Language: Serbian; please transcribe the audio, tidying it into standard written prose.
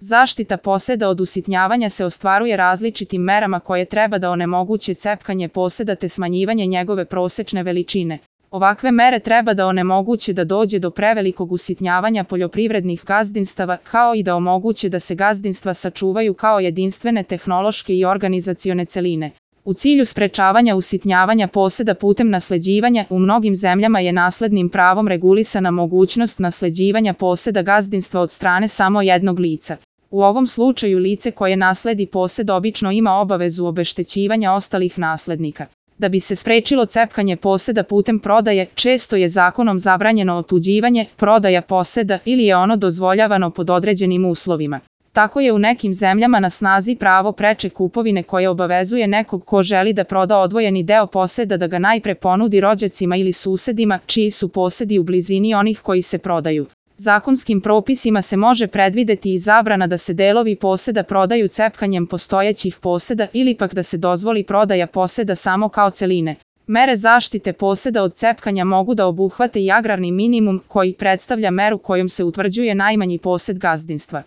Zaštita poseda od usitnjavanja se ostvaruje različitim merama koje treba da onemoguće cepkanje poseda te smanjivanje njegove prosečne veličine. Ovakve mere treba da onemoguće da dođe do prevelikog usitnjavanja poljoprivrednih gazdinstava, kao i da omoguće da se gazdinstva sačuvaju kao jedinstvene tehnološke i organizacione celine. U cilju sprečavanja usitnjavanja poseda putem nasleđivanja, u mnogim zemljama je naslednim pravom regulisana mogućnost nasleđivanja poseda gazdinstva od strane samo jednog lica. U ovom slučaju lice koje nasledi posed obično ima obavezu obeštećivanja ostalih naslednika. Da bi se sprečilo cepkanje poseda putem prodaje, često je zakonom zabranjeno otuđivanje, prodaja poseda ili je ono dozvoljavano pod određenim uslovima. Tako je u nekim zemljama na snazi pravo preče kupovine koje obavezuje nekog ko želi da proda odvojeni deo poseda da ga najpre ponudi rođacima ili susedima, čiji su posedi u blizini onih koji se prodaju. Zakonskim propisima se može predvideti i zabrana da se delovi poseda prodaju cepkanjem postojećih poseda ili pak da se dozvoli prodaja poseda samo kao celine. Mere zaštite poseda od cepkanja mogu da obuhvate i agrarni minimum koji predstavlja meru kojom se utvrđuje najmanji posed gazdinstva.